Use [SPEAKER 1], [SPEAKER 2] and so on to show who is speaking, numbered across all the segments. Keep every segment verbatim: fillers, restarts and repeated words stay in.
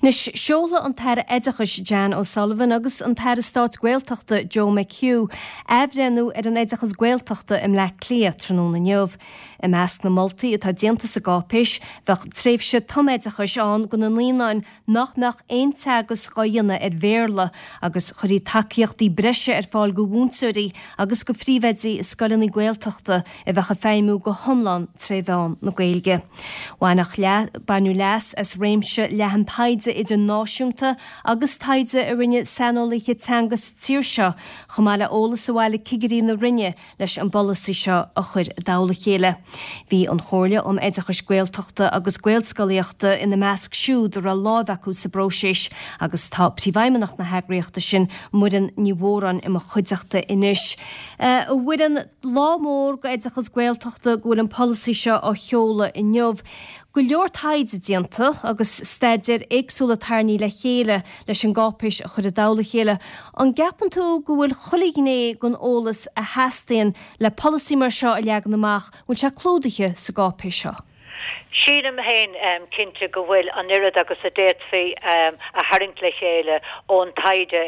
[SPEAKER 1] Anois, seolfaidh an tAire Oideachais Jan O'Sullivan agus an tAire Stáit Gaeltachta Joe McHugh athbhreithniú ar an oideachas Gaeltachta i mBleá Cliath tráthnóna inniu. I measc na moltaí atá déanta sa gcáipéis bheadh tréimhse tumoideachais ann do na naíonáin nach mbeadh aon teagasc á dhéanamh ar Bhéarla agus chuirfí tacaíochtaí breise ar fáil do mhúinteoirí agus do phríomhoidí i scoileanna Gaeltachta a bheadh ag feidhmiú go hiomlán tré mheán na Gaeilge. Baineadh leas as réimse leathan taighde idirnáisiúnta agus taighde a rinne saineolaithe teanga sa tír seo chomh maith le eolas a bhailigh cigirí na Roinne leis an bpolasaí seo a chur i dtoll a chéile. Bhí an Chomhairle um Oideachais Gaeltachta agus Gaelscolaíochta ina measc siúd a raibh lámh acu sa bpróiseas agus tá príomhfheidhmeannach na heagraíochta sin Muireann Ní Mhóráin i mo chuideachta anois. A Mhuireann lá mór do oideachas Gaeltachta go bhfuil an polasaí seo á sheoladh inniu. Go leor taighde déanta agus staidéir éagsúla tarraingthe le chéile leis an gcáipéis a chur i dtoll a chéile. An gceapann tú go bhfuil chuile ghné den eolas a theastaíonn le polasaí mar seo a leagan amach, bhfuil sé clúdaithe sa gcáipéis seo?
[SPEAKER 2] Sílim féin um, cinnte go bhfuil an oiread agus a d'fhéadfaí um, a tharraingt le chéile ón taighde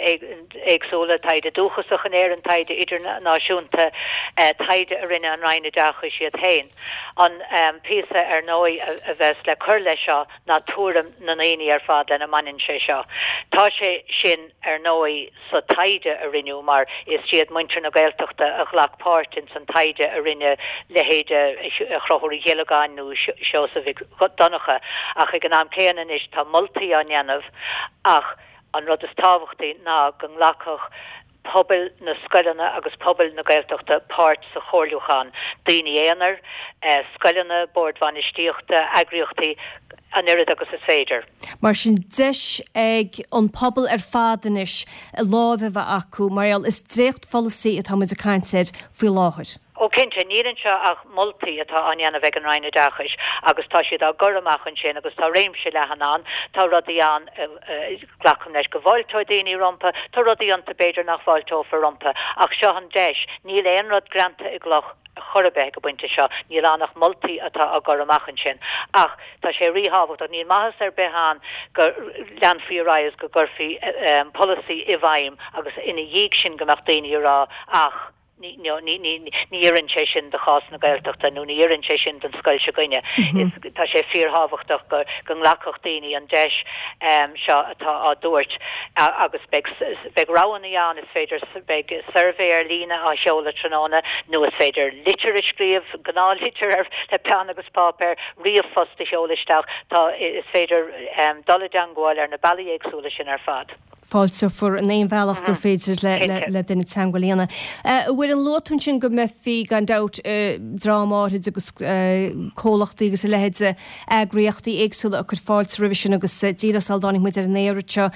[SPEAKER 2] éagsúla taighde dúchasach in Éirinn taighde idirnáisiúnta uh, taighde a rinne an Roinn Oideachais iad féin. An um, píosa ar ndóigh a, a bheas le cur leis seo ná tuairim na ndaoine ar fad lena mbaineann sé seo. Tá sé sin ar ndóigh sa taighde a rinneadh mar is iad muintir na Gaeltachta a ghlac páirt in san taighde a rinne leithéide Chonchúir Uí Ghiollagáin nó Seosamh Mhic Donncha ach ag an am céanna anois tá moltaí á ndéanamh ach an rud is tábhachtaí ná go nglacfadh pobal na scoileanna agus pobal na Gaeltachta páirt sa chomhairliúchán daoine aonair, eh, scoileanna, boird bhainistíochta, eagraíochtaí an oiread agus is féidir.
[SPEAKER 1] Mar sin deis ag an pobal ar fad anois lámh a bheith acu mar gheall is dréachtpholasaí atá muid ag caint air faoi láthair.
[SPEAKER 2] Ó cinnte níl anseo ach moltaí atá á ndéanamh ag an Roinn Oideachais agus tá siad á gcur amach ansin agus tá réimse leathan ann, tá rudaí ann glacaim leis go bhfáilteoidh daoine rompu, tá rudaí iontu b'fhéidir nach bhfáilteofar rompu ach seo an deis, níl aon rud greanta i gcloch chor ar bith ag an bpointe seo, níl ann ach moltaí atá á gcur amach ansin. Ach tá sé ríthábhachtach níl maitheas ar bith ann go leanfaí ar aghaidh go gcuirfí um, polasaí i bhfeidhm agus ina dhiaidh sin go mbeadh daoine ag rá ach ní ní oireann sé sin do chás na Gaeltachta nó ní oireann sé sin don scoil s'againne. Mm -hmm. Tá sé fíorthábhachtach go go nglacfadh daoine an deis um, seo atá á dtabhairt agus beidh roghanna ann is féidir beidh suirbhé ar líne á sheoladh tráthnóna nó is féidir litir a scríobh gnáthlitir ar le peann agus páipéar ríomhphost a sheoladh isteach tá is féidir um, dul i dteagmháil ar na bealaí éagsúla sin ar fad.
[SPEAKER 1] Fáilteofar in aon bhealach gur féidir le, le, le duine teagmháil a dhéanamh. Bhfuil an luatún sin go mbeifí gan dabht dream áirid agus comhlachtaí agus a leithéid eagraíochtaí éagsúla a chur fáilte roimhe sin agus díreach sula dtáinig muid ar an aer seo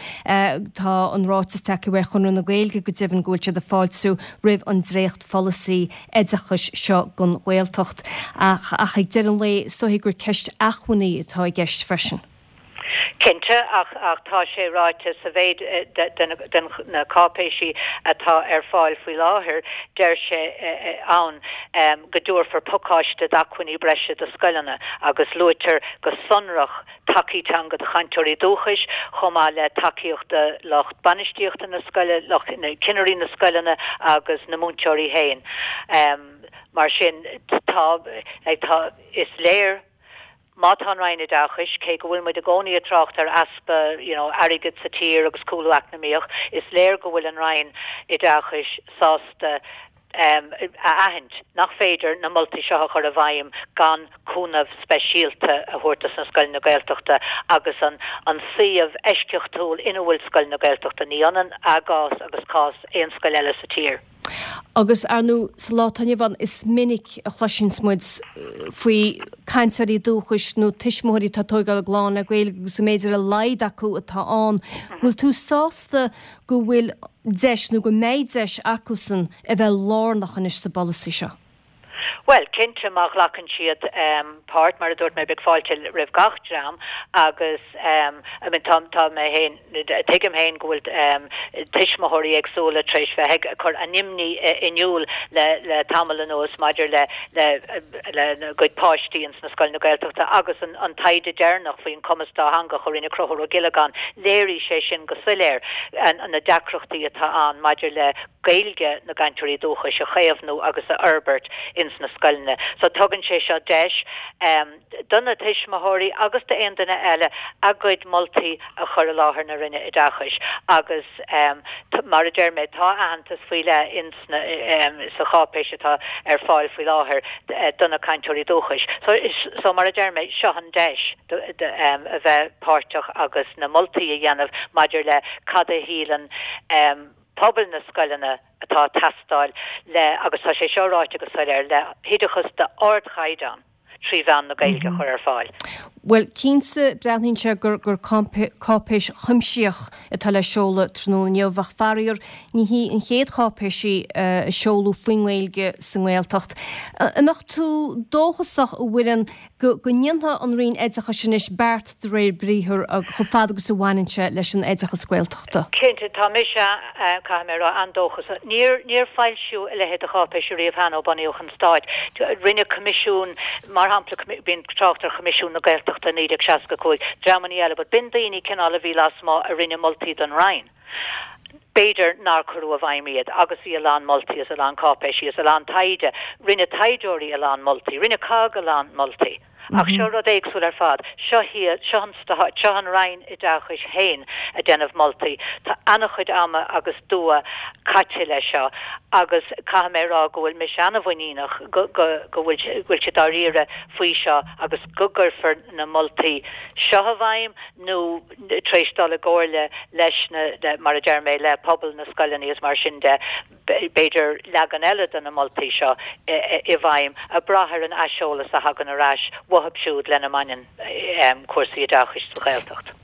[SPEAKER 1] tá an ráiteas tagtha ó Chonradh na Gaeilge go deimhin go bhfuil siad ag fáiltiú roimh an dréachtpholasaí oideachais seo don Ghaeltacht ach ach ag deireadh an lae is dóigh gur ceist acmhainní atá i gceist freisin.
[SPEAKER 2] Cinnte ach ach tá sé ráite sa mhéid den na cáipéisí atá ar fáil faoi láthair deir sé ann go dtabharfar pacáiste d'acmhainní breise do scoileanna agus luaitear go sonrach tacaí teanga do chainteoirí dúchais chomh maith le tacaíocht do lucht bainistíochta na scoile lucht na cinnirí na scoileanna agus na múinteoirí féin. Um, mar sin tá tá is léir má tá an Roinn Oideachais cé go bhfuil muid i gcónaí ag trácht ar easpa you know, airgid sa tír agus cúlú eacnamaíoch, is léir go bhfuil an Roinn Oideachais sásta um, a aithint nach féidir na moltaí seo a chur i bhfeidhm gan cúnamh speisialta a thabhairt do na scoileanna Gaeltachta agus an an suíomh eisceachtúil ina bhfuil scoileanna Gaeltachta ní ionann a gcás agus cás aon scoil eile sa tír.
[SPEAKER 1] Agus ar ndóigh sa lá atá inniu ann is minic a chloiseann muid faoi cainteoirí dúchais nó tuismitheoirí atá ag tógáil a gclann le Gaeilge agus go mb'fhéidir a laghad acu atá ann. Bhfuil tú sásta go bhfuil deis nó go mbeidh deis acusan a bheith lárnach anois sa bpolasaí seo?
[SPEAKER 2] Well, cinnte má ghlacann siad um, páirt mar a dúirt mé beidh fáilte roimh gach dream agus um, I mean, tá tá mé féin tuigim féin go bhfuil um, tuismitheoirí éagsúla tar éis bheith ag cur a n-imní in iúl le le tamall anuas maidir le le le a gcuid páistí ins na scoileanna Gaeltachta agus an, an taighde deireanach faoin cumas dátheangach a rinne Conchúr Ó Giollagáin léirigh sé sin go soiléir an, an na deacrachtaí atá ann maidir le Gaeilge na gcainteoirí dúchais a chaomhnú agus a fhorbairt ins na scoileanna. So tugann sé seo deis um, do na tuismitheoirí agus d'aon duine eile a gcuid moltaí a chur i láthair na Roinne Oideachais agus um, mar a deir mé tá aitheantas faoi leith ins na, um, sa cháipéis atá ar fáil faoi láthair eh, do na cainteoirí dúchais. So, so mar a deir mé seo an deis um, a bheith páirteach agus na moltaí a dhéanamh maidir le cad a shíleann um, pobal na scoileanna atá ag teastáil le agus tá sé seo ráite go soiléir le hoideachas d'ardchaighdeán trí mheán na Gaeilge mm -hmm. chur ar fáil.
[SPEAKER 1] Well cinnte breathnaíonn sé gur gur cáipéis chuimsitheach atá le seoladh tráthnóna inniu ach faraor ní hí an chéad cháipéis í uh, a seoladh faoin nGaeilge sa nGaeltacht. An mbeadh tú dóchasach a Mhuireann go go ndéanfaidh an Roinn Oideachais anois beart de réir briathar chomh fada agus a bhaineann sé leis an oideachas Gaeltachta.
[SPEAKER 2] Cinnte tá mise caithfidh mé rá an-dóchasach. Níor níor foilsíodh a leithéid de cháipéis riamh cheana ó bunaíodh an stát. Rinne coimisiún mar shampla bíonn trácht ar Choimisiún na Gaeltachta naoi déag seasca cúig dreamanna eile, but b'in daoine cineál a bhí lasmuigh a rinne moltaí don Roinn. B'fhéidir nár cuireadh i bhfeidhm iad agus bhí a lán moltaí is a lán cáipéisí is a lán taighde, rinne taighdeoirí a lán moltaí, rinne COGG a lán moltaí. Ach seo rud éagsúil ar fad, seo hiad seo an stát seo an Roinn Oideachais féin ag déanamh moltaí. Tá an-chuid ama agus dua caite leis seo agus caithfidh mé rá go bhfuil mise an-mhuiníneach go go go bhfuil bhfuil siad dáiríre faoi seo agus go gcuirfear na moltaí seo i bhfeidhm nó tar éis dul i gcomhairle leis na le, mar a deir mé le pobal na scoileanna is mar sin de b'fhéidir leagan eile de na moltaí seo i bhfeidhm ag brath ar an aiseolas a thagann ar ais uathu siúd lena mbaineann um, cúrsaí oideachais sa Ghaeltacht.